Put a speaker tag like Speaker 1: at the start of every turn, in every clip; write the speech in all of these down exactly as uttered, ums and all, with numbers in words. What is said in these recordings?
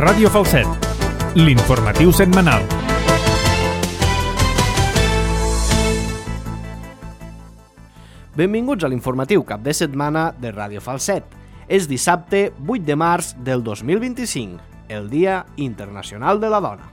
Speaker 1: Ràdio Falset, l'informatiu setmanal.
Speaker 2: Benvinguts a l'informatiu cap de setmana de Ràdio Falset. És dissabte vuit de març del dos mil vint-i-cinc, el Dia Internacional de la Dona.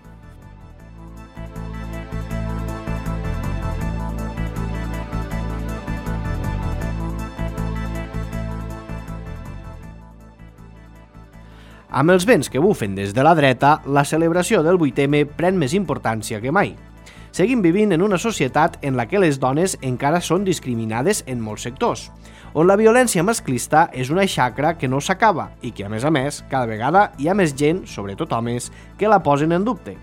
Speaker 2: Amb els vents que bufen des de la dreta, la celebració del vuit eme pren més importància que mai. Seguim vivint en una societat en la que les dones encara són discriminades en molts sectors, on la violència masclista és una xacra que no s'acaba i que, a més a més, cada vegada hi ha més gent, sobretot homes, que la posen en dubte.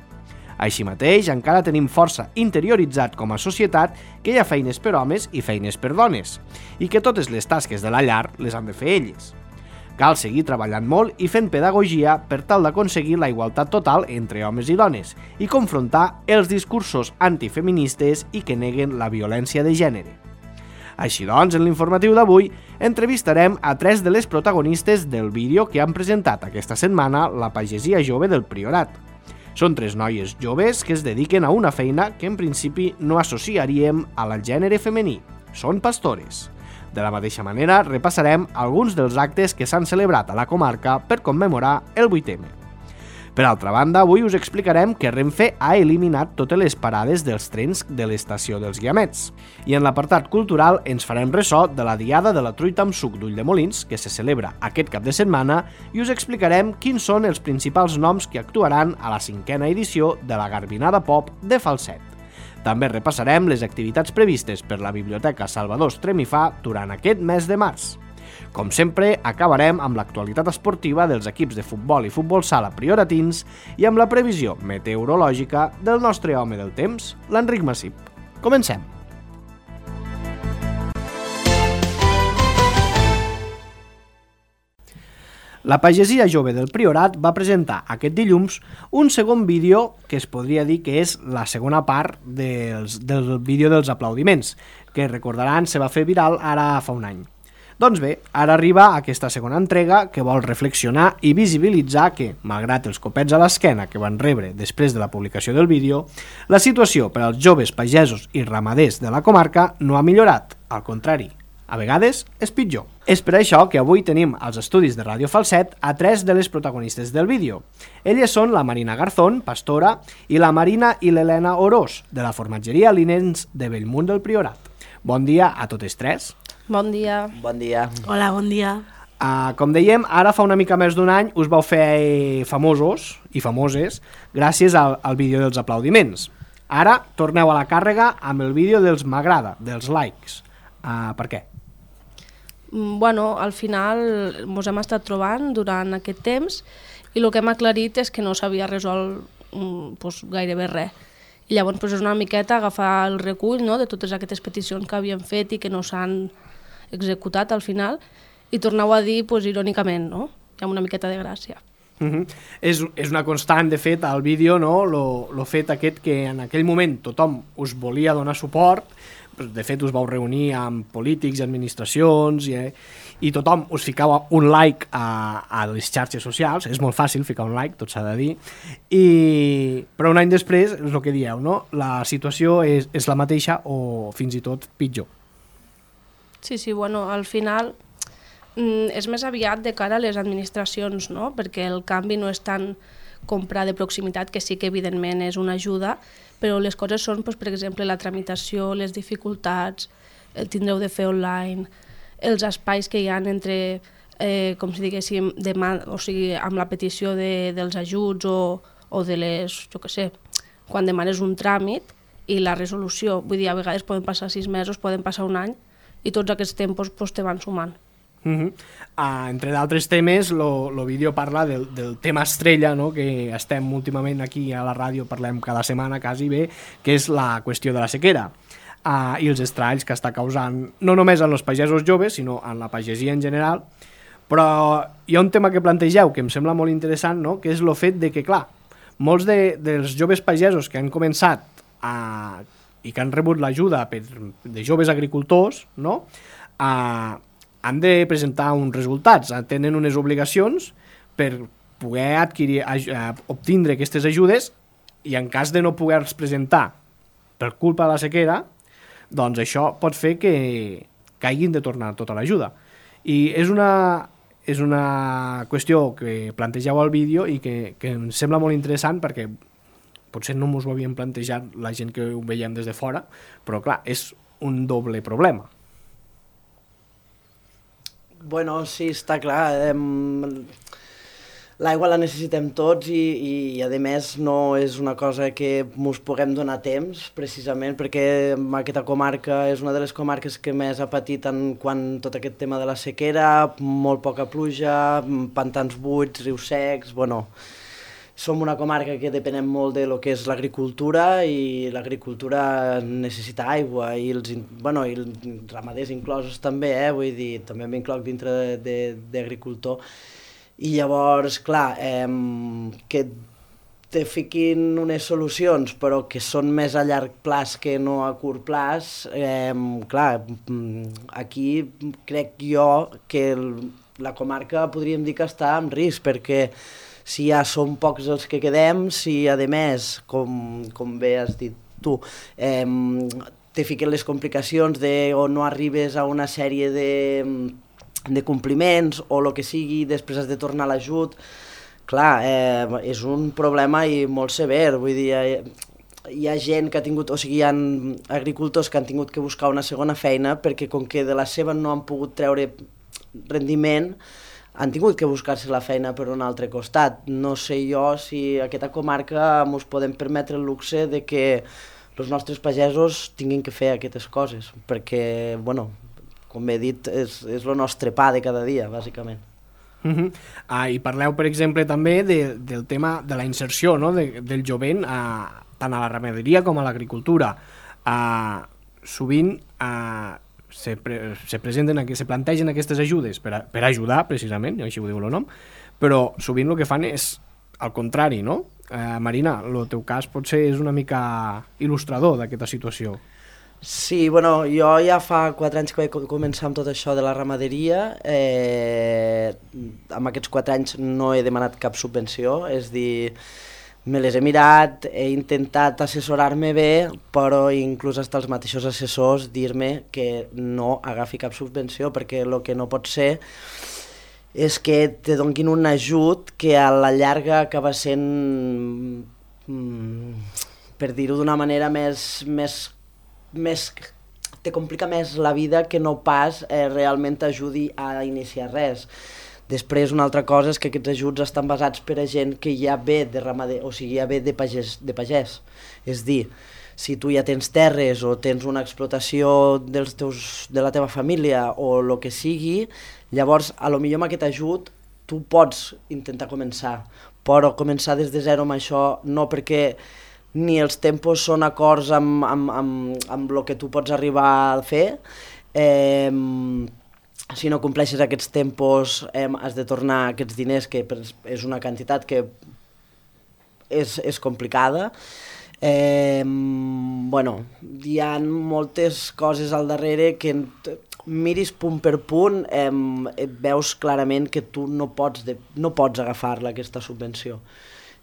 Speaker 2: Així mateix, encara tenim força interioritzat com a societat que hi ha feines per homes i feines per dones, i que totes les tasques de la llar les han de fer elles. Cal seguir treballant molt i fent pedagogia per tal d'aconseguir la igualtat total entre homes i dones i confrontar els discursos antifeministes i que neguen la violència de gènere. Així doncs, en l'informatiu d'avui, entrevistarem a tres de les protagonistes del vídeo que han presentat aquesta setmana la pagesia jove del Priorat. Són tres noies joves que es dediquen a una feina que en principi no associaríem al gènere femení. Són pastores. De la mateixa manera, repassarem alguns dels actes que s'han celebrat a la comarca per commemorar el vuit eme. Per altra banda, avui us explicarem que Renfe ha eliminat totes les parades dels trens de l'estació dels Guiamets. I en l'apartat cultural ens farem ressò de la Diada de la Truita amb suc d'Ulldemolins, que se celebra aquest cap de setmana, i us explicarem quins són els principals noms que actuaran a la cinquena edició de la Garbinada Pop de Falset. També repassarem les activitats previstes per la Biblioteca Salvador Estremifà durant aquest mes de març. Com sempre, acabarem amb l'actualitat esportiva dels equips de futbol i futbol sala prioratins i amb la previsió meteorològica del nostre home del temps, l'Enric Massip. Comencem! La pagesia jove del Priorat va presentar aquest dilluns un segon vídeo que es podria dir que és la segona part dels, del vídeo dels aplaudiments, que recordaran se va fer viral ara fa un any. Doncs bé, ara arriba aquesta segona entrega que vol reflexionar i visibilitzar que, malgrat els copets a l'esquena que van rebre després de la publicació del vídeo, la situació per als joves pagesos i ramaders de la comarca no ha millorat, al contrari. A vegades és pitjor. És per això que avui tenim als estudis de Ràdio Falset a tres de les protagonistes del vídeo. Elles són la Marina Garzón, pastora, i la Marina i l'Helena Orós, de la formatgeria Linens de Bellmunt del Priorat. Bon dia a totes tres.
Speaker 3: Bon dia.
Speaker 4: Bon dia.
Speaker 3: Hola, bon dia.
Speaker 2: Uh, com dèiem, ara fa una mica més d'un any us vau fer famosos i famoses gràcies al, al vídeo dels aplaudiments. Ara torneu a la càrrega amb el vídeo dels m'agrada, dels likes. Uh, per què?
Speaker 3: Bueno, al final ens hem estat trobant durant aquest temps i el que hem aclarit és que no s'havia resolt pues, gairebé res. I llavors pues, és una miqueta agafar el recull, no?, de totes aquestes peticions que havíem fet i que no s'han executat al final i torneu a dir pues, irònicament, no?, amb una miqueta de gràcia.
Speaker 2: Uh-huh. És, és una constant, de fet, al vídeo, no?, lo, lo fet aquest que en aquell moment tothom us volia donar suport. De fet, us vau reunir amb polítics i administracions i, eh, i tothom us ficava un like a, a les xarxes socials. És molt fàcil ficar un like, tot s'ha de dir. I, però un any després, és el que dieu, no? La situació és, és la mateixa o fins i tot pitjor.
Speaker 3: Sí, sí, bueno, al final mm, és més aviat de cara a les administracions, no? Perquè el canvi no és tant comprar de proximitat, que sí que evidentment és una ajuda, però les coses són, doncs, per exemple, la tramitació, les dificultats, el tindreu de fer online, els espais que hi ha entre, eh, com si diguéssim, deman- o sigui, amb la petició de, dels ajuts o, o de les, jo què sé, quan demanes un tràmit i la resolució, vull dir, a vegades poden passar sis mesos, poden passar un any, i tots aquests tempos pues, te van sumant.
Speaker 2: Uh-huh. Uh, entre d'altres temes, el vídeo parla del, del tema estrella, no?, que estem últimament aquí a la ràdio, parlem cada setmana quasi bé, que és la qüestió de la sequera uh, i els estralls que està causant no només en els pagesos joves, sinó en la pagesia en general. Però hi ha un tema que plantegeu que em sembla molt interessant, no?, que és el fet de que, clar, molts de, dels joves pagesos que han començat a, i que han rebut l'ajuda per, de joves agricultors, no?, a han de presentar uns resultats, tenen unes obligacions per poder adquirir, eh, obtindre aquestes ajudes, i en cas de no poder-se presentar per culpa de la sequera, doncs això pot fer que, que hagin de tornar tota l'ajuda. I és una, és una qüestió que plantegeu al vídeo i que, que em sembla molt interessant, perquè potser no ens ho havíem plantejat la gent que ho veiem des de fora, però clar, és un doble problema.
Speaker 4: Bueno, sí, està clar. Eh, L'aigua la necessitem tots i, i, i a més no és una cosa que ens puguem donar temps, precisament perquè aquesta comarca és una de les comarques que més ha patit en quant tot aquest tema de la sequera, molt poca pluja, pantans buits, rius secs, bueno... Som una comarca que depenem molt de lo que és l'agricultura i l'agricultura necessita aigua i els, bueno, i els ramaders inclosos també, eh? Vull dir, també m'incloc dintre d'agricultor. I llavors, clar, eh, que te fiquin unes solucions però que són més a llarg plaç que no a curt plaç, eh, clar, aquí crec jo que la comarca podríem dir que està en risc, perquè si ja som pocs els que quedem, si a més, com, com bé has dit tu, eh, te fiquen les complicacions de o no arribes a una sèrie de, de compliments o el que sigui, després has de tornar a l'ajut, clar, eh, és un problema i molt sever, vull dir, hi, hi ha gent que ha tingut, o sigui, hi ha agricultors que han tingut que buscar una segona feina perquè com que de la seva no han pogut treure rendiment, han tingut que buscar-se la feina per un altre costat. No sé jo si a aquesta comarca ens podem permetre el luxe de que els nostres pagesos tinguin que fer aquestes coses, perquè, bueno, com he dit, és, és el nostre pa de cada dia, bàsicament.
Speaker 2: Uh-huh. Ah, i parleu, per exemple, també de, del tema de la inserció, no? de, del jovent, a, tant a la ramaderia com a l'agricultura. Ah, sovint... Ah, se, pre se presenten, se plantegen aquestes ajudes per, a, per ajudar, precisament, així ho diu el nom, però sovint el que fan és al contrari, no? Eh, Marina, el teu cas potser és una mica il·lustrador d'aquesta situació.
Speaker 4: Sí, bueno, jo ja fa quatre anys que vaig començar amb tot això de la ramaderia, eh, amb aquests quatre anys no he demanat cap subvenció, és dir, me les he mirat, he intentat assessorar-me bé, però inclús fins els mateixos assessors dir-me que no agafi cap subvenció, perquè el que no pot ser és que te donguin un ajut que a la llarga acaba sent, per dir-ho d'una manera més, més, més... te complica més la vida que no pas eh, realment t'ajudi a iniciar res. Després, una altra cosa és que aquests ajuts estan basats per a gent que ja ve de ramader, o sigui, ja ve de pagès, de pagès. És dir, si tu ja tens terres o tens una explotació dels teus, de la teva família o el que sigui, llavors, a lo millor amb aquest ajut, tu pots intentar començar, però començar des de zero amb això no, perquè ni els tempos són acords amb, amb, amb, amb el que tu pots arribar a fer, eh, si no compleixes aquests tempos eh, has de tornar aquests diners, que és una quantitat que és, és complicada. Eh, bueno, hi ha moltes coses al darrere que miris punt per punt, eh, et veus clarament que tu no pots, de, no pots agafar-la, aquesta subvenció.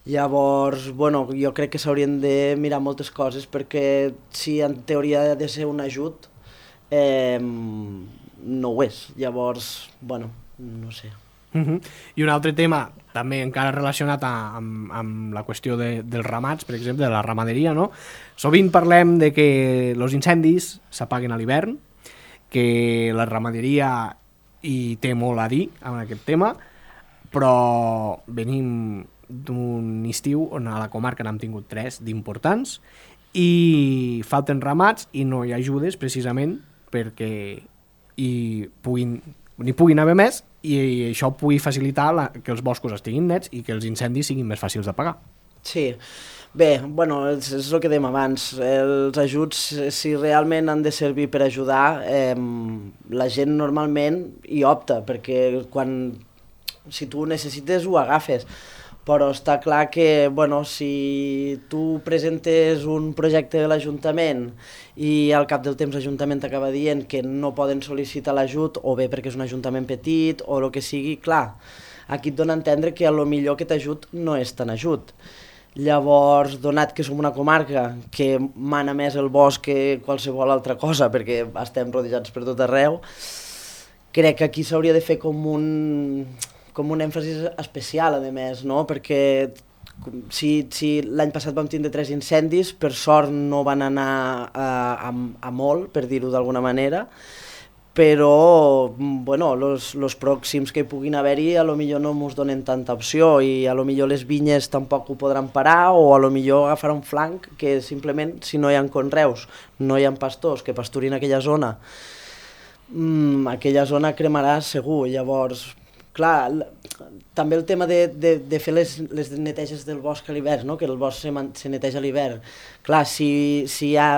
Speaker 4: Llavors, bueno, jo crec que s'haurien de mirar moltes coses, perquè si en teoria ha de ser un ajut, eh, no ho és. Llavors, bueno, no sé.
Speaker 2: Uh-huh. I un altre tema, també encara relacionat a, amb, amb la qüestió de, dels ramats, per exemple, de la ramaderia, no? Sovint parlem de que els incendis s'apaguen a l'hivern, que la ramaderia hi té molt a dir en aquest tema, però venim d'un estiu on a la comarca n'hem tingut tres d'importants i falten ramats i no hi ha ajudes precisament perquè hi puguin, n'hi puguin haver més i això pugui facilitar la, que els boscos estiguin nets i que els incendis siguin més fàcils d'apagar.
Speaker 4: Sí, bé, bueno, és, és el que dèiem abans, els ajuts, si realment han de servir per ajudar, eh, la gent normalment hi opta, perquè quan, si tu ho necessites ho agafes, però està clar que, bueno, si tu presentes un projecte de l'Ajuntament i al cap del temps l'Ajuntament t'acaba dient que no poden sol·licitar l'ajut, o bé perquè és un ajuntament petit, o el que sigui, clar, aquí et dona a entendre que a lo millor aquest ajut no és tan ajut. Llavors, donat que som una comarca que mana més el bosc que qualsevol altra cosa, perquè estem rodejats per tot arreu, crec que aquí s'hauria de fer com un, com un èmfasis especial, a més, no? Perquè si, si l'any passat vam tindre tres incendis, per sort no van anar a, a, a molt, per dir-ho d'alguna manera, però bueno, los, los pròxims que puguin haver-hi a lo millor no ens donen tanta opció i a lo millor les vinyes tampoc ho podran parar o a lo millor agafar un flanc que simplement si no hi ha conreus, no hi ha pastors que pasturin aquella zona, mmm, aquella zona cremarà segur. Llavors, clar, també el tema de, de, de fer les, les neteges del bosc a l'hivern, no? Que el bosc se, se neteja a l'hivern. Clar, si, si hi ha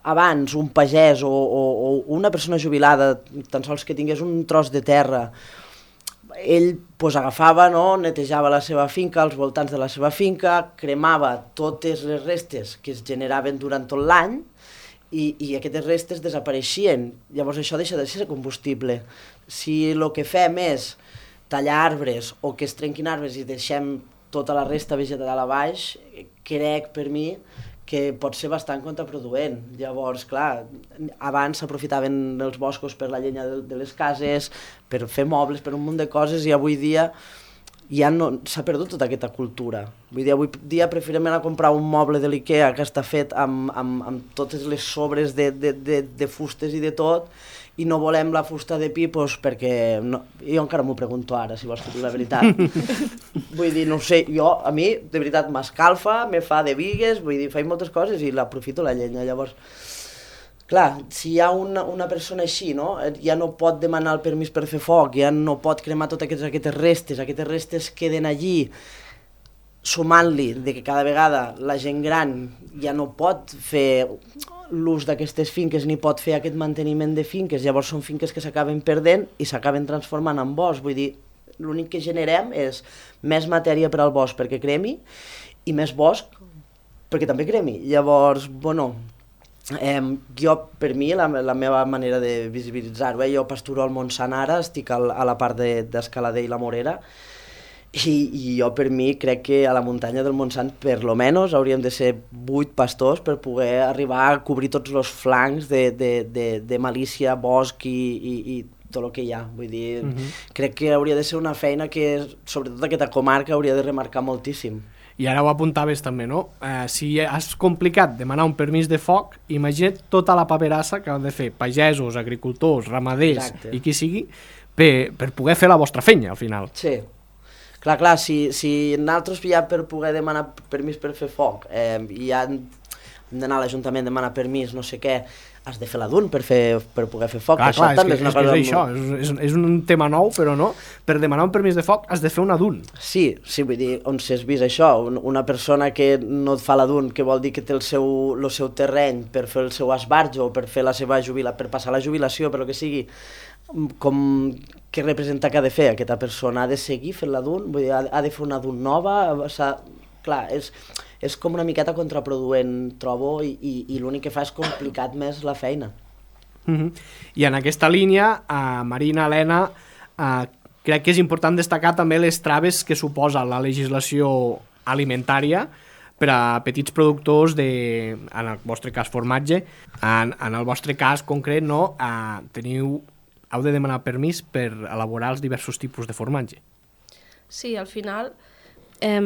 Speaker 4: abans un pagès o, o, o una persona jubilada, tan sols que tingués un tros de terra, ell pues, agafava, no? Netejava la seva finca, als voltants de la seva finca, cremava totes les restes que es generaven durant tot l'any i, i aquestes restes desapareixien. Llavors això deixa de ser combustible. Si el que fem és tallar arbres o que es trenquin arbres i deixem tota la resta vegetal a baix, crec per mi que pot ser bastant contraproduent. Llavors, clar, abans s'aprofitaven els boscos per la llenya de, de les cases, per fer mobles, per un munt de coses, i avui dia ja no, s'ha perdut tota aquesta cultura. Vull dir, avui dia preferim anar a comprar un moble de l'Ikea que està fet amb, amb, amb totes les sobres de, de, de, de fustes i de tot, i no volem la fusta de pi pues, perquè no, jo encara m'ho pregunto ara, si vols que digui la veritat. Vull dir, no sé, jo, a mi, de veritat, m'escalfa, me fa de vigues, vull dir, faig moltes coses i l'aprofito la llenya. Llavors, clar, si hi ha una, una persona així, no? Ja no pot demanar el permís per fer foc, ja no pot cremar totes aquestes, aquestes restes, aquestes restes queden allí, sumant-li de que cada vegada la gent gran ja no pot fer l'ús d'aquestes finques ni pot fer aquest manteniment de finques, llavors són finques que s'acaben perdent i s'acaben transformant en bosc. Vull dir, l'únic que generem és més matèria per al bosc perquè cremi i més bosc perquè també cremi. Llavors, bueno, eh, jo, per mi, la, la meva manera de visibilitzar-ho, eh, jo pasturo al Montsant ara, estic al, a la part d'Escalader de, i la Morera, I, i jo per mi crec que a la muntanya del Montsant per lo menos hauríem de ser vuit pastors per poder arribar a cobrir tots els flancs de, de, de, de malícia, bosc i, i, i tot el que hi ha. Vull dir, uh-huh. Crec que hauria de ser una feina que, sobretot aquesta comarca, hauria de remarcar moltíssim.
Speaker 2: I ara ho apuntaves també, no? Eh, si és complicat demanar un permís de foc, imagina't tota la paperassa que han de fer pagesos, agricultors, ramaders Exacte. I qui sigui, per, per poder fer la vostra feina, al final.
Speaker 4: Sí. Clar, clar, si, si nosaltres ja per poder demanar permís per fer foc, eh, i ja hem d'anar a l'Ajuntament a demanar permís, no sé què, has de fer la D U N per, fer, per poder fer foc.
Speaker 2: Clar,
Speaker 4: això
Speaker 2: clar,
Speaker 4: també
Speaker 2: és, que,
Speaker 4: és, una
Speaker 2: és, que és
Speaker 4: cosa...
Speaker 2: això, és, és un tema nou, però no, per demanar un permís de foc has de fer una D U N.
Speaker 4: Sí, sí, vull dir, on s'has vist això, una persona que no et fa la D U N, que vol dir que té el seu, el seu terreny per fer el seu esbarjo, o per fer la seva jubila, per passar la jubilació, per el que sigui, com què representa que ha de fer aquesta persona? Ha de seguir fent la D U N? Vull dir, ha, ha de fer una D U N nova? Clar, és, és com una miqueta contraproduent, trobo, i, i, i l'únic que fa és complicat més la feina.
Speaker 2: Uh-huh. I en aquesta línia, uh, Marina, Helena, uh, crec que és important destacar també les traves que suposa la legislació alimentària per a petits productors de, en el vostre cas, formatge. En, en el vostre cas concret, no, uh, teniu, heu de demanar permís per elaborar els diversos tipus de formatge.
Speaker 3: Sí, al final, eh,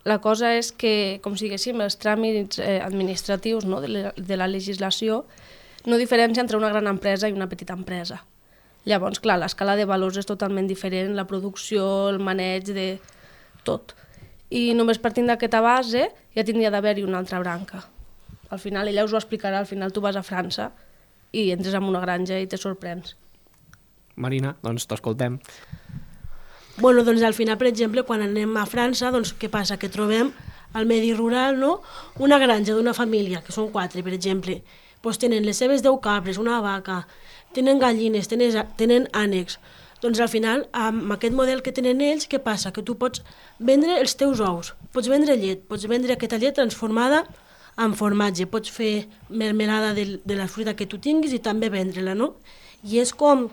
Speaker 3: la cosa és que, com si diguéssim, els tràmits eh, administratius, no, de, la, de la legislació no diferència entre una gran empresa i una petita empresa. Llavors, clar, l'escala de valors és totalment diferent, la producció, el maneig de tot. I només partint d'aquesta base ja tindria d'haver-hi una altra branca. Al final, ella us ho explicarà, al final tu vas a França i entres en una granja i te sorprens.
Speaker 2: Marina, doncs t'escoltem.
Speaker 5: Bueno, doncs al final, per exemple, quan anem a França, doncs què passa? Que trobem al medi rural, no?, una granja d'una família, que són quatre, per exemple, doncs tenen les seves deu cabres, una vaca, tenen gallines, tenen, tenen ànecs. Doncs al final, amb aquest model que tenen ells, què passa? Que tu pots vendre els teus ous, pots vendre llet, pots vendre aquesta llet transformada en formatge, pots fer mermelada de, de la fruita que tu tinguis i també vendre-la, no? I és com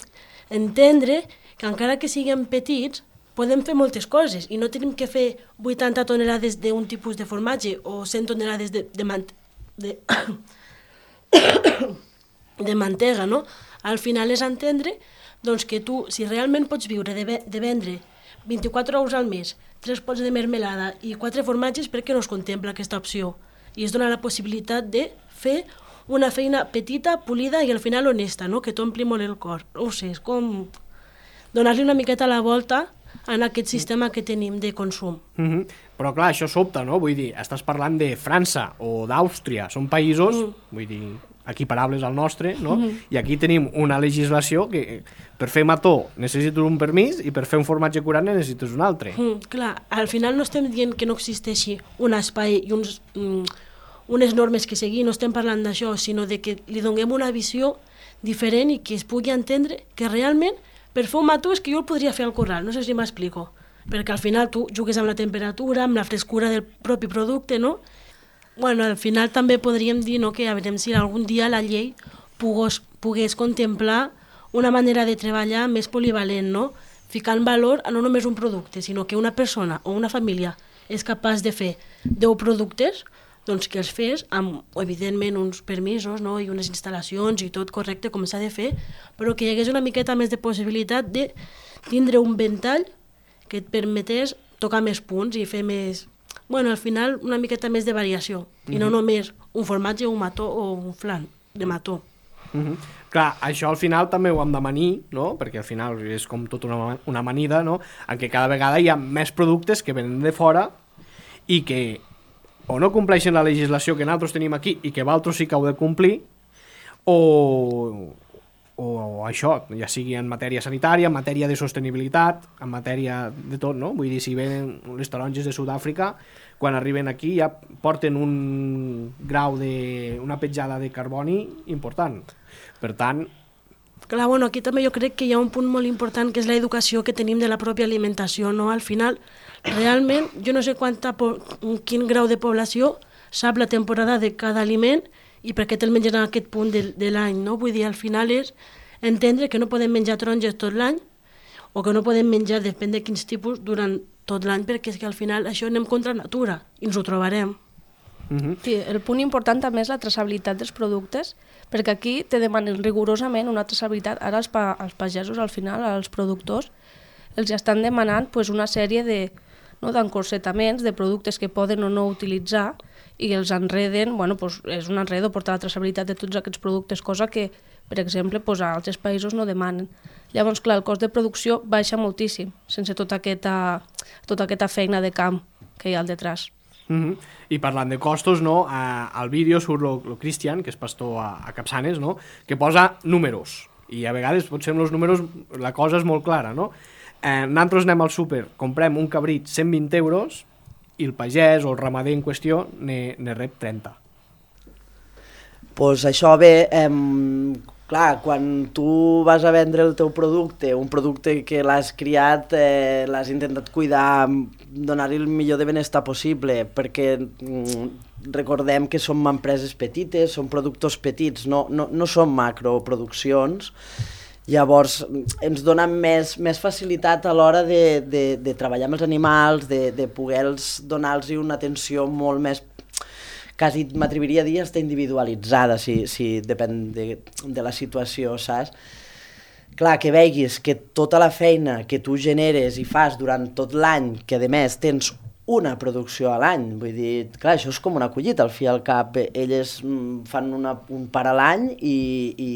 Speaker 5: entendre que encara que siguem petits, podem fer moltes coses i no tenim que fer vuitanta tonelades d'un tipus de formatge o cent tonelades de, de, man de, de mantega, no? Al final és entendre doncs, que tu, si realment pots viure de, de vendre vint-i-quatre ous al mes, tres pots de mermelada i quatre formatges, per què no es contempla aquesta opció? I es dona la possibilitat de fer una feina petita, polida i al final honesta, no? Que t'ompli molt el cor. No ho sé, és com donar-li una miqueta la volta en aquest sistema que tenim de consum.
Speaker 2: Mm-hmm. Però clar, això sobta, no? Vull dir, estàs parlant de França o d'Àustria, són països, mm. vull dir, equiparables al nostre, no? Mm-hmm. I aquí tenim una legislació que per fer mató necessites un permís i per fer un formatge curat necessites un altre.
Speaker 5: Mm, clar, al final no estem dient que no existeixi un espai i uns, mm, unes normes que seguir, no estem parlant d'això, sinó de que li donem una visió diferent i que es pugui entendre que realment per fer un mató és que jo el podria fer al corral, no sé si m'explico, perquè al final tu jugues amb la temperatura, amb la frescura del propi producte, no? Bueno, al final també podríem dir, no, que a veure si algun dia la llei pogués, pogués contemplar una manera de treballar més polivalent, no? Ficar en valor a no només un producte, sinó que una persona o una família és capaç de fer deu productes, doncs que els fes amb, evidentment, uns permisos, no? I unes instal·lacions i tot correcte com s'ha de fer, però que hi hagués una miqueta més de possibilitat de tindre un ventall que et permetés tocar més punts i fer més... Bueno, al final una miqueta més de variació, mm-hmm. i no només un formatge, un mató o un flan de mató.
Speaker 2: Mm-hmm. Clar, això al final també ho hem de manir, no? Perquè al final és com tota una, una amanida, no? En què cada vegada hi ha més productes que venen de fora i que o no compleixen la legislació que nosaltres tenim aquí i que vosaltres sí que heu de complir, o, o això, ja sigui en matèria sanitària, en matèria de sostenibilitat, en matèria de tot, no? Vull dir, si venen les taronges de Sud-àfrica, quan arriben aquí ja porten un grau de... una petjada de carboni important. Per tant...
Speaker 5: Clar, bueno, aquí també jo crec que hi ha un punt molt important que és l'educació que tenim de la pròpia alimentació, no? Al final, realment, jo no sé quanta quin grau de població sap la temporada de cada aliment i per què te'l menges en aquest punt de, de l'any, no? Vull dir, al final és entendre que no podem menjar taronges tot l'any o que no podem menjar, depèn de quins tipus, durant tot l'any, perquè és que al final això anem contra natura i ens ho trobarem.
Speaker 3: Mm-hmm. Sí, el punt important també és la traçabilitat dels productes, perquè aquí te demanen rigorosament una traçabilitat. Ara els, pa els pagesos, al final, als productors, els estan demanant pues, una sèrie de no, d'encorsetaments, de productes que poden o no utilitzar i els enreden, bueno, pues, és un enredo portar la traçabilitat de tots aquests productes, cosa que, per exemple, pues, a altres països no demanen. Llavors, clar, el cost de producció baixa moltíssim, sense tota aquesta, tota aquesta feina de camp que hi ha al detrás.
Speaker 2: Mm-hmm. I parlant de costos, no, a, al vídeo surt el Cristian, que és pastor a, a Capçanes, no, que posa números, i a vegades potser amb els números la cosa és molt clara, no? Eh, nosaltres anem al súper, comprem un cabrit cent vint euros i el pagès o el ramader en qüestió ne, ne rep trenta.
Speaker 4: Pues això bé, eh, clar, quan tu vas a vendre el teu producte, un producte que l'has criat, eh, l'has intentat cuidar, donar-li el millor de benestar possible, perquè mm, recordem que som empreses petites, són productors petits, no, no, no són macroproduccions, llavors ens dona més, més facilitat a l'hora de, de, de treballar amb els animals, de, de poder-los donar-los una atenció molt més, quasi m'atreviria a dir, està individualitzada, si, si depèn de, de la situació, saps? Clar, que veguis que tota la feina que tu generes i fas durant tot l'any, que a més tens una producció a l'any, vull dir, clar, això és com una collita, al fi i al cap, elles fan una, un par a l'any i, i,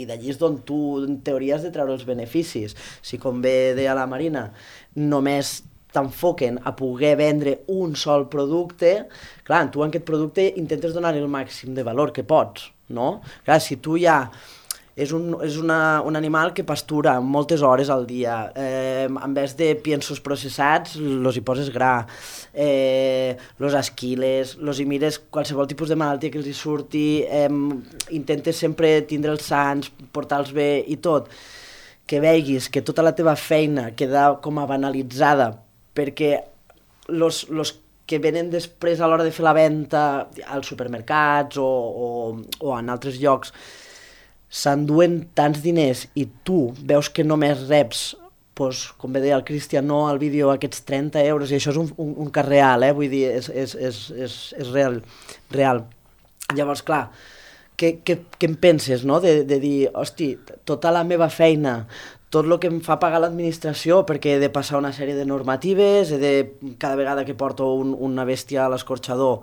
Speaker 4: i d'allí és d'on tu, en teoria, has de treure els beneficis. Si, com bé deia la Marina, només t'enfoquen a poder vendre un sol producte, clar, tu en aquest producte intentes donar el màxim de valor que pots, no? Clar, si tu ja... És, un, és una, un animal que pastura moltes hores al dia, eh, en vez de piensos processats, los hi poses gra, eh, los esquiles, los hi mires qualsevol tipus de malaltia que els hi surti, eh, intentes sempre tindre'ls sants, portar-los bé i tot, que veguis que tota la teva feina queda com a banalitzada, perquè los, los que venen després a l'hora de fer la venda als supermercats o, o, o en altres llocs, s'enduen tants diners i tu veus que només reps pues, com bé deia el Cristian, no, al vídeo aquests trenta euros, i això és un, un, un cas real, eh? Vull dir, és, és, és, és, és real, real. Llavors, clar, què, què, què em penses, no?, de, de dir, hosti, tota la meva feina, tot el que em fa pagar l'administració, perquè he de passar una sèrie de normatives, he de, cada vegada que porto un, una bèstia a l'escorxador,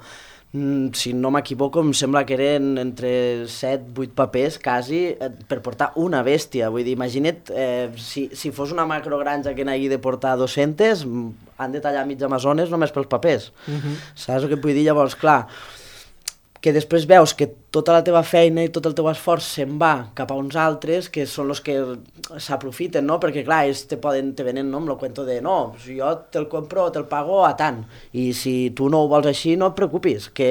Speaker 4: si no m'equivoco, em sembla que eren entre set vuit papers, quasi, per portar una bèstia. Vull dir, imagina't, eh, si, si fos una macrogranja que n'hagi de portar dos-centes, han de tallar mig Amazones només pels papers. Uh-huh. Saps el que vull dir? Llavors, clar, que després veus que tota la teva feina i tot el teu esforç se'n va cap a uns altres que són els que s'aprofiten, no? Perquè clar, ells te, poden, te venen, no?, amb el cuento de no, si jo te'l compro, te'l pago a tant, i si tu no ho vols així no et preocupis, que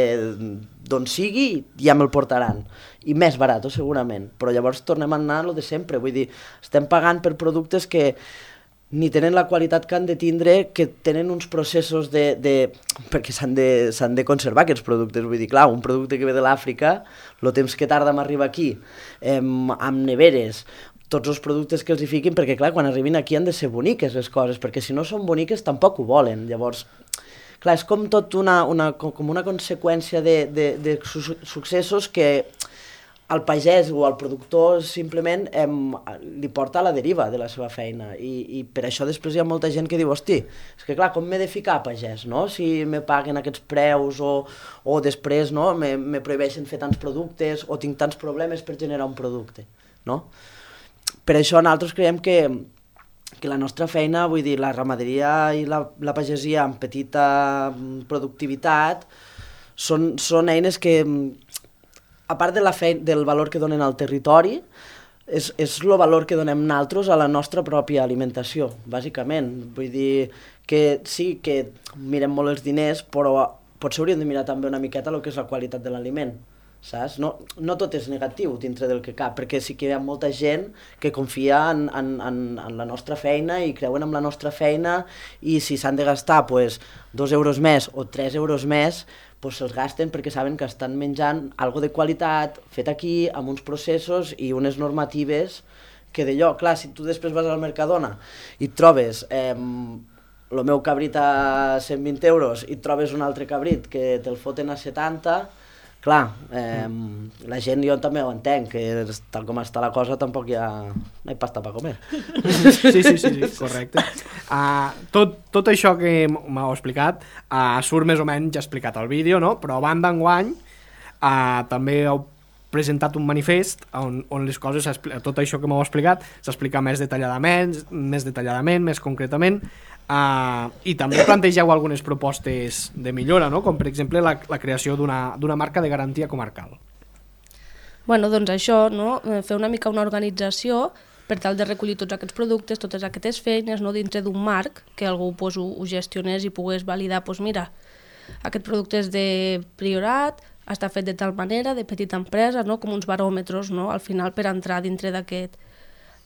Speaker 4: d'on sigui ja me'l portaran, i més barat, segurament, però llavors tornem a anar a lo de sempre, vull dir, estem pagant per productes que ni tenen la qualitat que han de tindre, que tenen uns processos de... de perquè s'han de, s'han de conservar aquests productes, vull dir, clar, un producte que ve de l'Àfrica, el temps que tarda en arribar aquí, eh, amb neveres, tots els productes que els hi fiquin, perquè clar, quan arribin aquí han de ser boniques les coses, perquè si no són boniques tampoc ho volen, llavors... Clar, és com tot una, una, com una conseqüència de, de, de su successos que al pagès o al productor simplement em, li porta a la deriva de la seva feina, i, i per això després hi ha molta gent que diu, hosti, és que clar, com m'he de ficar a pagès, no?, si me paguen aquests preus o, o després, no?, me, me prohibeixen fer tants productes o tinc tants problemes per generar un producte, no? Per això nosaltres creiem que que la nostra feina, vull dir, la ramaderia i la, la pagesia amb petita productivitat són, són eines que, a part de la feina, del valor que donen al territori, és, és el valor que donem nosaltres a la nostra pròpia alimentació, bàsicament. Vull dir que sí, que mirem molt els diners, però potser hauríem de mirar també una miqueta el que és la qualitat de l'aliment, saps? No, no tot és negatiu dintre del que cap, perquè sí que hi ha molta gent que confia en, en, en, en la nostra feina i creuen en la nostra feina, i si s'han de gastar pues, dos euros més o tres euros més, pues se'ls gasten perquè saben que estan menjant algo de qualitat, fet aquí, amb uns processos i unes normatives que d'allò, clar, si tu després vas al Mercadona i et trobes eh, el meu cabrit a cent vint euros i et trobes un altre cabrit que te'l foten a setanta, clar, eh, la gent, jo també ho entenc, que tal com està la cosa tampoc hi ha, no hi ha pasta per comer.
Speaker 2: Sí, sí, sí, sí, correcte. Uh, tot, tot això que m'heu explicat uh, surt més o menys explicat al vídeo, no? Però a banda enguany uh, també heu presentat un manifest on, on les coses, tot això que m'heu explicat, s'explica més detalladament, més detalladament, més concretament, uh, i també plantegeu algunes propostes de millora, no? Com per exemple la, la creació d'una d'una marca de garantia comarcal.
Speaker 3: Bueno, doncs això, no? Fer una mica una organització per tal de recollir tots aquests productes, totes aquestes feines, no? Dintre d'un marc que algú pues, ho, ho gestionés i pogués validar, pues, mira, aquest producte és de Priorat, està fet de tal manera, de petita empresa, no? Com uns baròmetres, no? Al final per entrar dintre d'aquest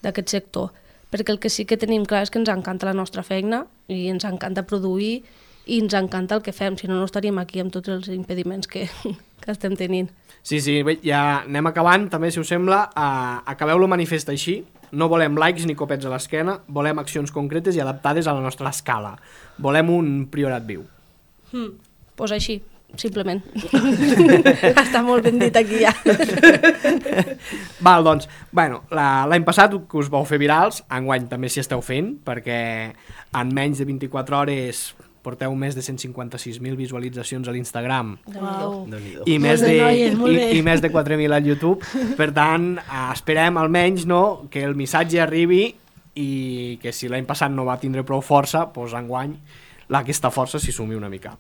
Speaker 3: d'aquest sector. Perquè el que sí que tenim clar és que ens encanta la nostra feina i ens encanta produir i ens encanta el que fem, si no no estaríem aquí amb tots els impediments que, que estem tenint.
Speaker 2: Sí, sí, bé, ja anem acabant, també, si us sembla, uh, acabeu el manifest així. No volem likes ni copets a l'esquena, volem accions concretes i adaptades a la nostra escala. Volem un Priorat viu.
Speaker 3: Mm, pues així, simplement. Està molt ben dit aquí ja.
Speaker 2: Val, doncs, bueno, l'any passat que us vau fer virals, enguany també s'hi esteu fent, perquè en menys de vint-i-quatre hores porteu més de cent cinquanta-sis mil visualitzacions a l'Instagram.
Speaker 3: Wow.
Speaker 2: I, més de, i, i més de quatre mil al YouTube. Per tant, esperem almenys, no, que el missatge arribi i que si l'any passat no va tindre prou força, doncs enguany aquesta força s'hi sumi una mica.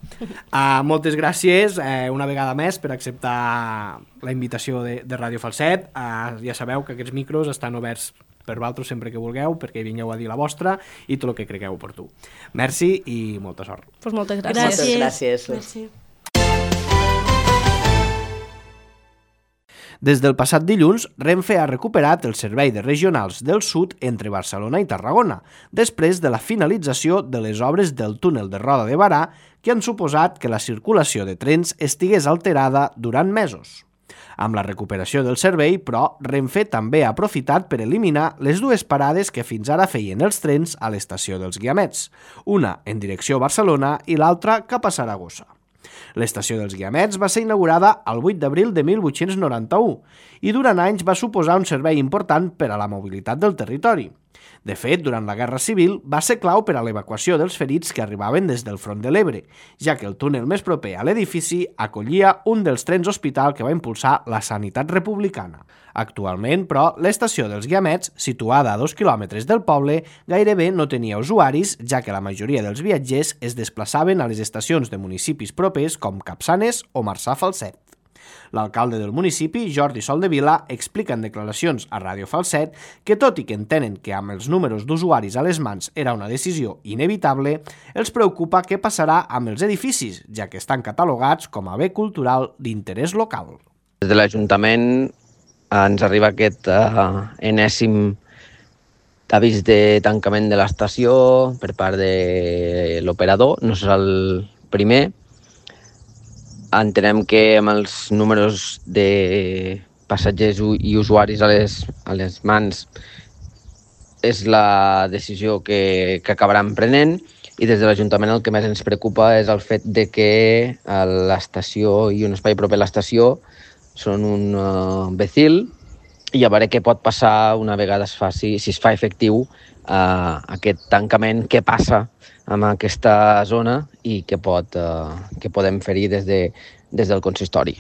Speaker 2: Uh, moltes gràcies uh, una vegada més per acceptar la invitació de, de Ràdio Falset. Uh, ja sabeu que aquests micros estan oberts per vosaltres sempre que vulgueu, perquè vingueu a dir la vostra i tot el que cregueu oportú. Merci i molta sort.
Speaker 3: Pues moltes gràcies.
Speaker 4: Moltes gràcies.
Speaker 5: Merci.
Speaker 2: Des del passat dilluns, Renfe ha recuperat el servei de regionals del sud entre Barcelona i Tarragona, després de la finalització de les obres del túnel de Roda de Barà, que han suposat que la circulació de trens estigués alterada durant mesos. Amb la recuperació del servei, però, Renfe també ha aprofitat per eliminar les dues parades que fins ara feien els trens a l'estació dels Guiamets, una en direcció a Barcelona i l'altra cap a Saragossa. L'estació dels Guiamets va ser inaugurada el vuit d'abril de mil vuit-cents noranta-u i durant anys va suposar un servei important per a la mobilitat del territori. De fet, durant la Guerra Civil va ser clau per a l'evacuació dels ferits que arribaven des del front de l'Ebre, ja que el túnel més proper a l'edifici acollia un dels trens hospital que va impulsar la sanitat republicana. Actualment, però, l'estació dels Guiamets, situada a dos quilòmetres del poble, gairebé no tenia usuaris, ja que la majoria dels viatgers es desplaçaven a les estacions de municipis propers com Capçanes o Marçà Falset. L'alcalde del municipi, Jordi Soldevila, explica en declaracions a Ràdio Falset que tot i que entenen que amb els números d'usuaris a les mans era una decisió inevitable, els preocupa què passarà amb els edificis, ja que estan catalogats com a bé cultural d'interès local.
Speaker 6: Des de l'Ajuntament ens arriba aquest uh, enèsim avís de tancament de l'estació per part de l'operador, no serà el primer. Entenem que amb els números de passatgers i usuaris a les, a les mans és la decisió que, que acabaran prenent i des de l'Ajuntament el que més ens preocupa és el fet de que l'estació i un espai proper a l'estació són un uh, becil i a veure què pot passar una vegada es faci, si es fa efectiu uh, aquest tancament, què passa amb aquesta zona i què, pot, uh, què podem fer-hi des, de, des del consistori.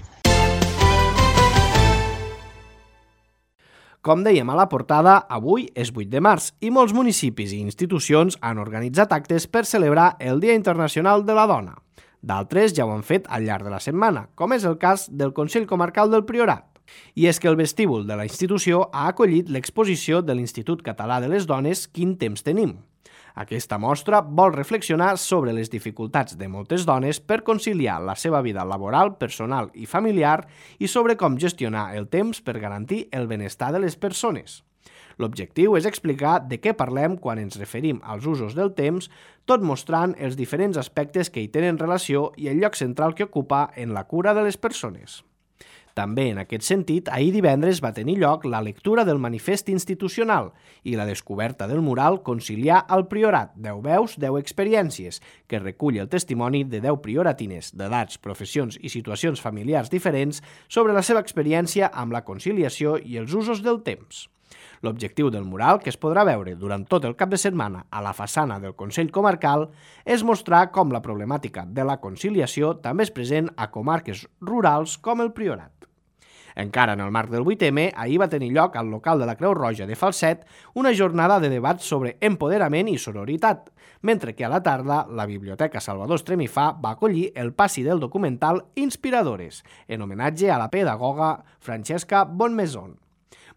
Speaker 2: Com dèiem a la portada, avui és vuit de març i molts municipis i institucions han organitzat actes per celebrar el Dia Internacional de la Dona. D'altres ja ho han fet al llarg de la setmana, com és el cas del Consell Comarcal del Priorat. I és que el vestíbul de la institució ha acollit l'exposició de l'Institut Català de les Dones Quin temps tenim. Aquesta mostra vol reflexionar sobre les dificultats de moltes dones per conciliar la seva vida laboral, personal i familiar i sobre com gestionar el temps per garantir el benestar de les persones. L'objectiu és explicar de què parlem quan ens referim als usos del temps, tot mostrant els diferents aspectes que hi tenen relació i el lloc central que ocupa en la cura de les persones. També en aquest sentit, ahir divendres va tenir lloc la lectura del manifest institucional i la descoberta del mural Conciliar al Priorat, deu veus, deu experiències, que recull el testimoni de deu prioratines d'edats, professions i situacions familiars diferents sobre la seva experiència amb la conciliació i els usos del temps. L'objectiu del mural, que es podrà veure durant tot el cap de setmana a la façana del Consell Comarcal, és mostrar com la problemàtica de la conciliació també és present a comarques rurals com el Priorat. Encara en el marc del vuit eme, ahir va tenir lloc al local de la Creu Roja de Falset una jornada de debat sobre empoderament i sororitat, mentre que a la tarda la Biblioteca Salvador Estremifà va acollir el passi del documental Inspiradores, en homenatge a la pedagoga Francesca Bonmaison.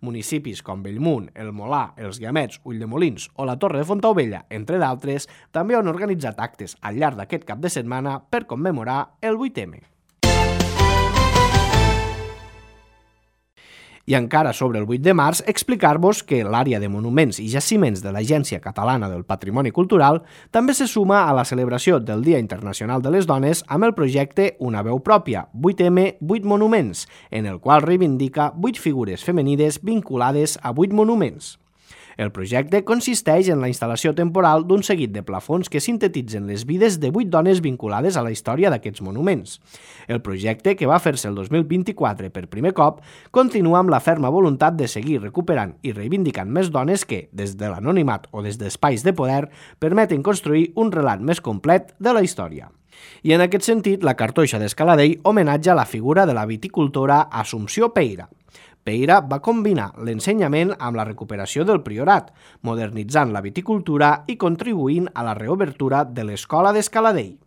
Speaker 2: Municipis com Bellmunt, el Molar, els Guiamets, Ulldemolins o la Torre de Fontaubella, entre d'altres, també han organitzat actes al llarg d'aquest cap de setmana per commemorar el vuit eme. I encara sobre el vuit de març, explicar-vos que l'àrea de monuments i jaciments de l'Agència Catalana del Patrimoni Cultural també se suma a la celebració del Dia Internacional de les Dones amb el projecte Una veu pròpia, vuit eme, vuit monuments, en el qual reivindica vuit figures femenines vinculades a vuit monuments. El projecte consisteix en la instal·lació temporal d'un seguit de plafons que sintetitzen les vides de vuit dones vinculades a la història d'aquests monuments. El projecte, que va fer-se el dos mil vint-i-quatre per primer cop, continua amb la ferma voluntat de seguir recuperant i reivindicant més dones que, des de l'anonimat o des d'espais de poder, permeten construir un relat més complet de la història. I en aquest sentit, la cartoixa d'Escaladell homenatja la figura de la viticultora Assumpció Peira. Peira va combinar l'ensenyament amb la recuperació del priorat, modernitzant la viticultura i contribuint a la reobertura de l'Escola d'Escaladell.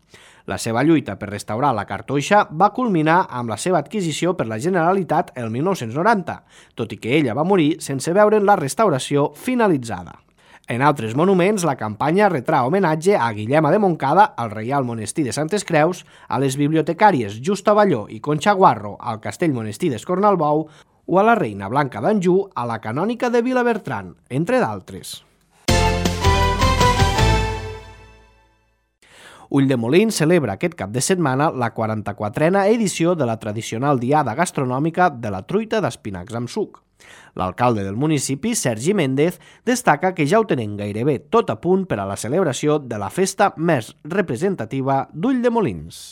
Speaker 2: La seva lluita per restaurar la cartoixa va culminar amb la seva adquisició per la Generalitat el mil nou-cents noranta, tot i que ella va morir sense veure'n la restauració finalitzada. En altres monuments, la campanya retrà homenatge a Guillema de Montcada, al Reial Monestir de Santes Creus, a les bibliotecàries Justa Balló i Conxa Guarro, al Castell Monestir d'Escornalbou, o a la Reina Blanca d'Anjou, a la Canònica de Vilabertran, entre d'altres. Ulldemolins celebra aquest cap de setmana la quaranta-quatrena edició de la tradicional diada gastronòmica de la truita d'espinacs amb suc. L'alcalde del municipi, Sergi Méndez, destaca que ja ho tenen gairebé tot a punt per a la celebració de la festa més representativa d'Ulldemolins.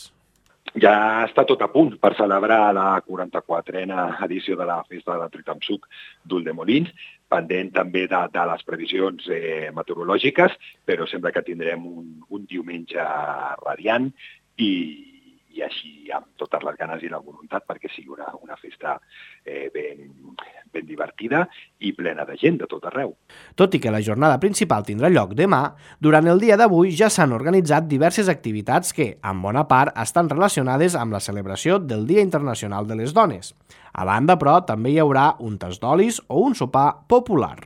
Speaker 7: Ja està tot a punt per celebrar la quaranta-quatrena edició de la festa de la truita amb suc d'Ulldemolins, pendent també de, de les previsions eh, meteorològiques, però sembla que tindrem un, un diumenge radiant i, i així amb totes les ganes i la voluntat perquè sigui una, una festa eh, ben, ben divertida i plena de gent de tot arreu.
Speaker 2: Tot i que la jornada principal tindrà lloc demà, durant el dia d'avui ja s'han organitzat diverses activitats que, en bona part, estan relacionades amb la celebració del Dia Internacional de les Dones. A banda, però, també hi haurà un tas d'olis o un sopar popular.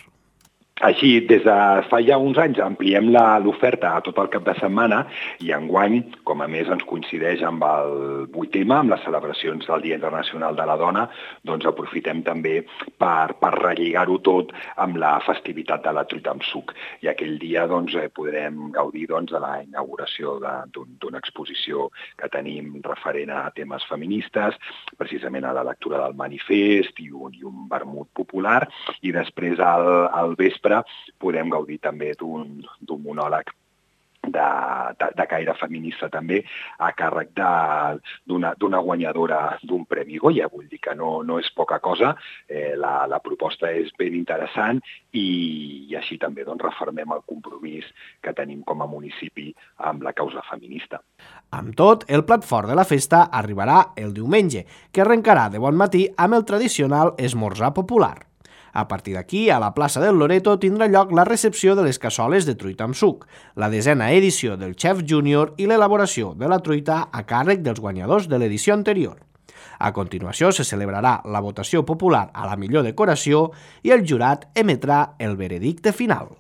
Speaker 7: Així, des de fa ja uns anys ampliem l'oferta a tot el cap de setmana i enguany, com a més ens coincideix amb el vuitè M, amb les celebracions del Dia Internacional de la Dona, doncs aprofitem també per, per relligar-ho tot amb la festivitat de la truita amb suc. I aquell dia doncs, podrem gaudir doncs, de la inauguració d'una exposició que tenim referent a temes feministes, precisament a la lectura del manifest i un, i un vermut popular, i després al, al vespre podem gaudir també d'un monòleg de, de, de caire feminista també a càrrec d'una guanyadora d'un Premi Goya. Vull dir que no, no és poca cosa, eh, la, la proposta és ben interessant i, i així també doncs, refermem el compromís que tenim com a municipi amb la causa feminista.
Speaker 2: Amb tot, el plat fort de la festa arribarà el diumenge, que arrencarà de bon matí amb el tradicional esmorzar popular. A partir d'aquí, a la plaça del Loreto tindrà lloc la recepció de les cassoles de truita amb suc, la desena edició del Chef Júnior i l'elaboració de la truita a càrrec dels guanyadors de l'edició anterior. A continuació se celebrarà la votació popular a la millor decoració i el jurat emetrà el veredicte final.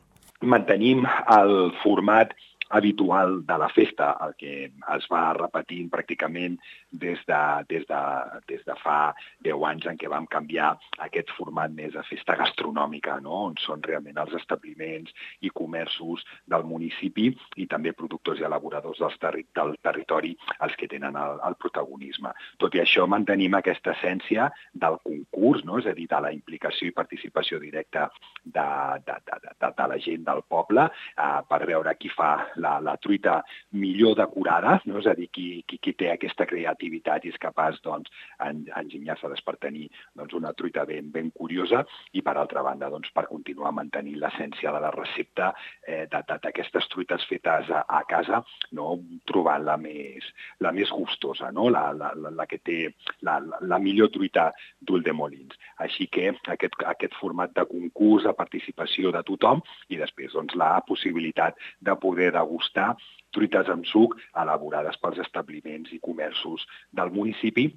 Speaker 7: Mantenim el format habitual de la festa, el que es va repetint pràcticament des de, des de, des de fa deu anys en què vam canviar aquest format més de festa gastronòmica, no? On són realment els establiments i comerços del municipi i també productors i elaboradors del, terri del territori els que tenen el, el protagonisme. Tot i això mantenim aquesta essència del concurs, no? És a dir, de la implicació i participació directa de, de, de, de, de la gent del poble eh, per veure qui fa La, la truita millor decorada, no? És a dir, qui, qui, qui té aquesta creativitat i és capaç doncs, en, enginyar-se per tenir doncs, una truita ben, ben curiosa i, per altra banda, doncs, per continuar mantenint l'essència de la recepta eh, d'aquestes truites fetes a, a casa, no? Trobant la més, la més gustosa, no? la, la, la, la que té la, la, la millor truita d'Ulldemolins. Així que aquest, aquest format de concurs, de participació de tothom i després doncs, la possibilitat de poder degustar truites amb suc elaborades pels establiments i comerços del municipi,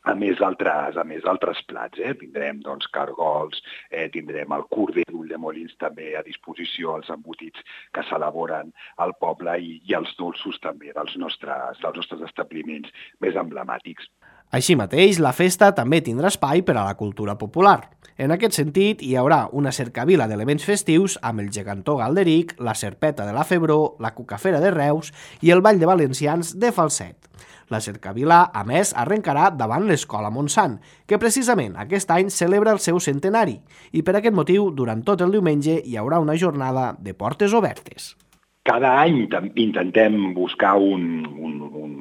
Speaker 7: a més d'altres a més d'altres plats. Eh? Tindrem doncs, cargols, eh, tindrem el corder d'Ulldemolins també a disposició, els embotits que s'elaboren al poble i, i els dolços també dels nostres, dels nostres establiments més emblemàtics.
Speaker 2: Així mateix, la festa també tindrà espai per a la cultura popular. En aquest sentit, hi haurà una cercavila d'elements festius amb el gegantó Galderic, la serpeta de la Febró, la cucafera de Reus i el ball de valencians de Falset. La cercavila, a més, arrencarà davant l'Escola Montsant, que precisament aquest any celebra el seu centenari, i per aquest motiu, durant tot el diumenge, hi haurà una jornada de portes obertes.
Speaker 7: Cada any intentem buscar un, un, un,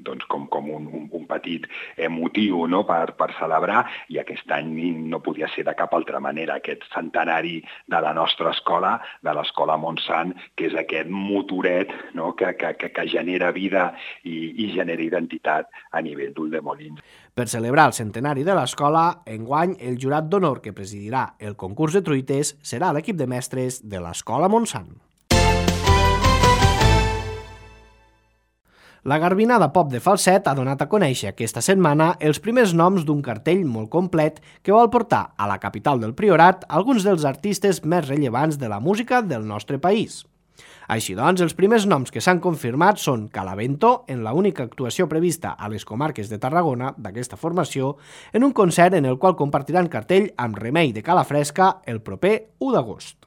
Speaker 7: doncs com, com un, un, un petit motiu, no? per, per celebrar, i aquest any no podia ser de cap altra manera aquest centenari de la nostra escola, de l'Escola Montsant, que és aquest motoret, no? que, que, que, que genera vida i, i genera identitat a nivell d'Ulldemolins.
Speaker 2: Per celebrar el centenari de l'escola, enguany el jurat d'honor que presidirà el concurs de truites serà l'equip de mestres de l'Escola Montsant. La Garbinada Pop de Falset ha donat a conèixer aquesta setmana els primers noms d'un cartell molt complet que vol portar a la capital del Priorat alguns dels artistes més rellevants de la música del nostre país. Així doncs, els primers noms que s'han confirmat són Calavento, en la única actuació prevista a les comarques de Tarragona d'aquesta formació, en un concert en el qual compartiran cartell amb Remei de Calafresca el proper u d'agost.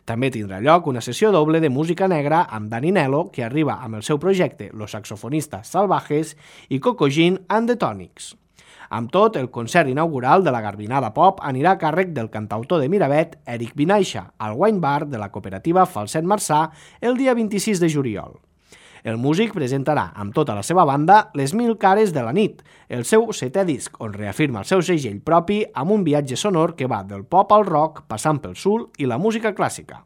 Speaker 2: També tindrà lloc una sessió doble de música negra amb Dani Nelo, que arriba amb el seu projecte Los Saxofonistas Salvajes, i Coco Jean and the Tonics. Amb tot, el concert inaugural de la Garbinada Pop anirà a càrrec del cantautor de Miravet, Eric Vinaixa, al Wine Bar de la cooperativa Falset Marçà el dia vint-i-sis de juliol. El músic presentarà amb tota la seva banda Les Mil Cares de la Nit, el seu setè disc, on reafirma el seu segell propi amb un viatge sonor que va del pop al rock, passant pel soul i la música clàssica.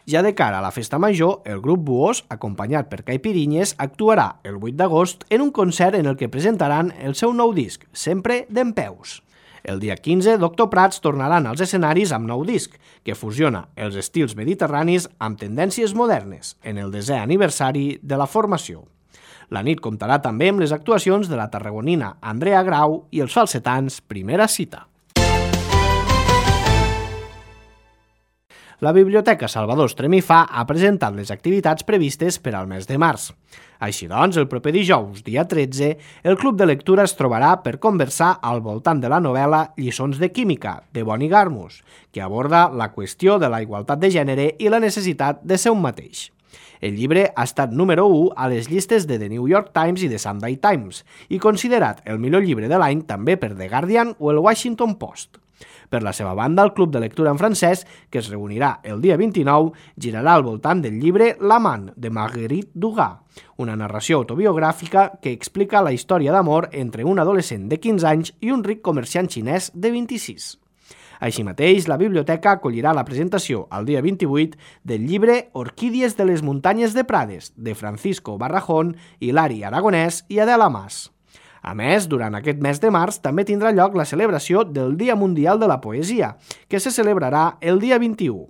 Speaker 2: Ja de cara a la festa major, el grup Buós, acompanyat per Caipirinyes, actuarà el vuit d'agost en un concert en el que presentaran el seu nou disc, Sempre dempeus. El dia quinze, Doctor Prats tornaran als escenaris amb nou disc, que fusiona els estils mediterranis amb tendències modernes, en el desè aniversari de la formació. La nit comptarà també amb les actuacions de la tarragonina Andrea Grau i els falsetans Primera Cita. La Biblioteca Salvador Estremifà ha presentat les activitats previstes per al mes de març. Així doncs, el proper dijous, dia tretze, el Club de Lectura es trobarà per conversar al voltant de la novel·la Lliçons de Química, de Bonnie Garmus, que aborda la qüestió de la igualtat de gènere i la necessitat de ser un mateix. El llibre ha estat número u a les llistes de The New York Times i The Sunday Times i considerat el millor llibre de l'any també per The Guardian o el Washington Post. Per la seva banda, el Club de Lectura en francès, que es reunirà el dia vint-i-nou, girarà al voltant del llibre L'amant, de Marguerite Duras, una narració autobiogràfica que explica la història d'amor entre un adolescent de quinze anys i un ric comerciant xinès de vint-i-sis. Així mateix, la biblioteca acollirà la presentació el dia vint-i-vuit del llibre Orquídies de les muntanyes de Prades, de Francisco Barrajón, Hilari Aragonès i Adela Mas. A més, durant aquest mes de març també tindrà lloc la celebració del Dia Mundial de la Poesia, que se celebrarà el dia vint-i-u.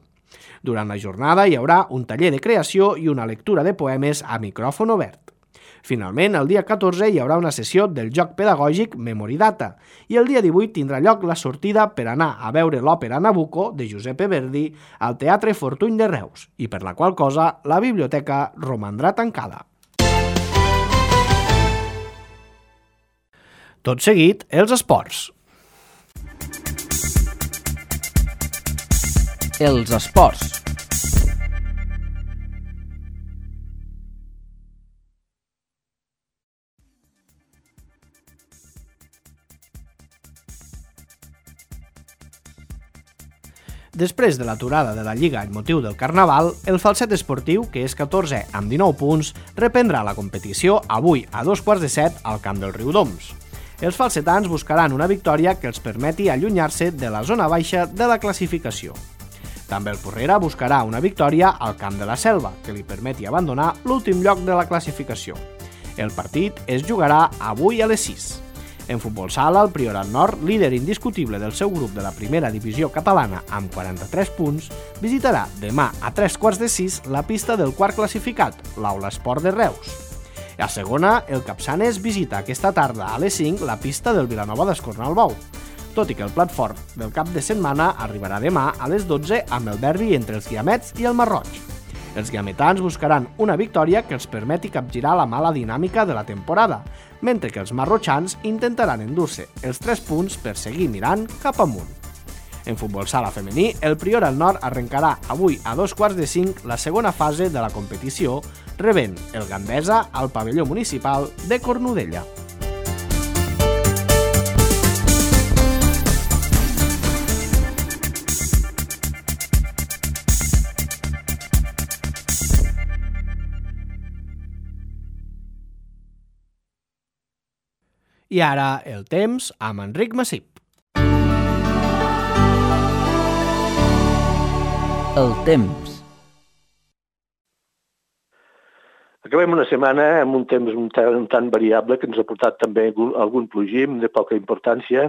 Speaker 2: Durant la jornada hi haurà un taller de creació i una lectura de poemes a micròfon obert. Finalment, el dia catorze hi haurà una sessió del joc pedagògic Memoridata i el dia divuit tindrà lloc la sortida per anar a veure l'òpera Nabucco de Giuseppe Verdi al Teatre Fortuny de Reus i per la qual cosa la biblioteca romandrà tancada. Tot seguit, els esports.
Speaker 8: Els esports.
Speaker 2: Després de l'aturada de la Lliga en motiu del Carnaval, el Falset Esportiu, que és catorzè amb dinou punts, reprendrà la competició avui a dos quarts de set al camp del Riudoms. Els falsetans buscaran una victòria que els permeti allunyar-se de la zona baixa de la classificació. També el Porrera buscarà una victòria al camp de la Selva, que li permeti abandonar l'últim lloc de la classificació. El partit es jugarà avui a les sis. En futbol sala, el Priorat Nord, líder indiscutible del seu grup de la primera divisió catalana amb quaranta-tres punts, visitarà demà a tres quarts de sis la pista del quart classificat, l'Aula Esport de Reus. A segona, el Capçanes visita aquesta tarda a les cinc la pista del Vilanova d'Escornalbou, tot i que el plat fort del cap de setmana arribarà demà a les dotze amb el derbi entre els Guiamets i el Marroig. Els guiametans buscaran una victòria que els permeti capgirar la mala dinàmica de la temporada, mentre que els marrotxans intentaran endur-se els tres punts per seguir mirant cap amunt. En futbol sala femení, el Priorat Nord arrencarà avui a dos quarts de cinc la segona fase de la competició, rebent el Gandesa al pavelló municipal de Cornudella. I ara el temps amb Enric Massip.
Speaker 8: El temps.
Speaker 9: Acabem una setmana amb un temps un tant, un tant variable que ens ha portat també algun plogim de poca importància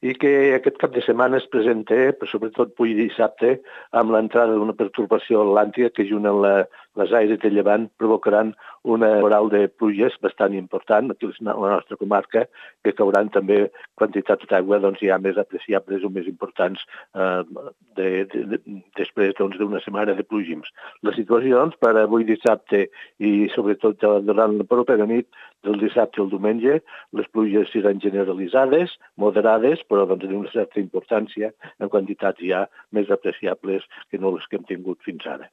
Speaker 9: i que aquest cap de setmana es presenta, però sobretot avui dissabte, amb l'entrada d'una pertorbació atlàntica que junt amb la les aires de llevant provocaran una temporal de pluges bastant important aquí a la nostra comarca, que cauran també quantitats d'aigua doncs, ja més apreciables o més importants eh, de, de, de, després doncs, d'una setmana de plugims. La situació doncs, per avui dissabte i sobretot durant la propera nit del dissabte al diumenge, les pluges seran generalitzades, moderades, però doncs, d'una certa importància en quantitats ja més apreciables que no les que hem tingut fins ara.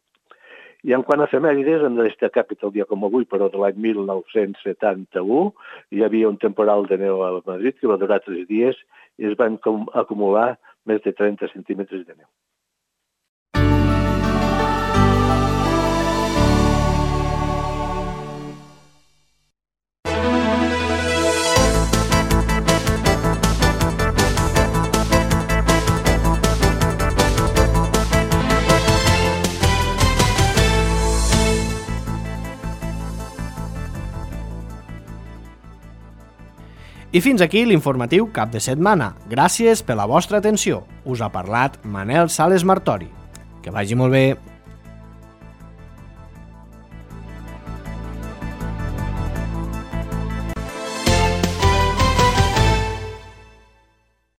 Speaker 9: I en quant a efemèrides, hem de destacar que el dia com avui, però de l'any mil nou-cents setanta-u, hi havia un temporal de neu a Madrid que va durar tres dies i es van acumular més de trenta centímetres de neu.
Speaker 2: I fins aquí l'informatiu cap de setmana. Gràcies per la vostra atenció. Us ha parlat Manel Sales Martori. Que vagi molt bé.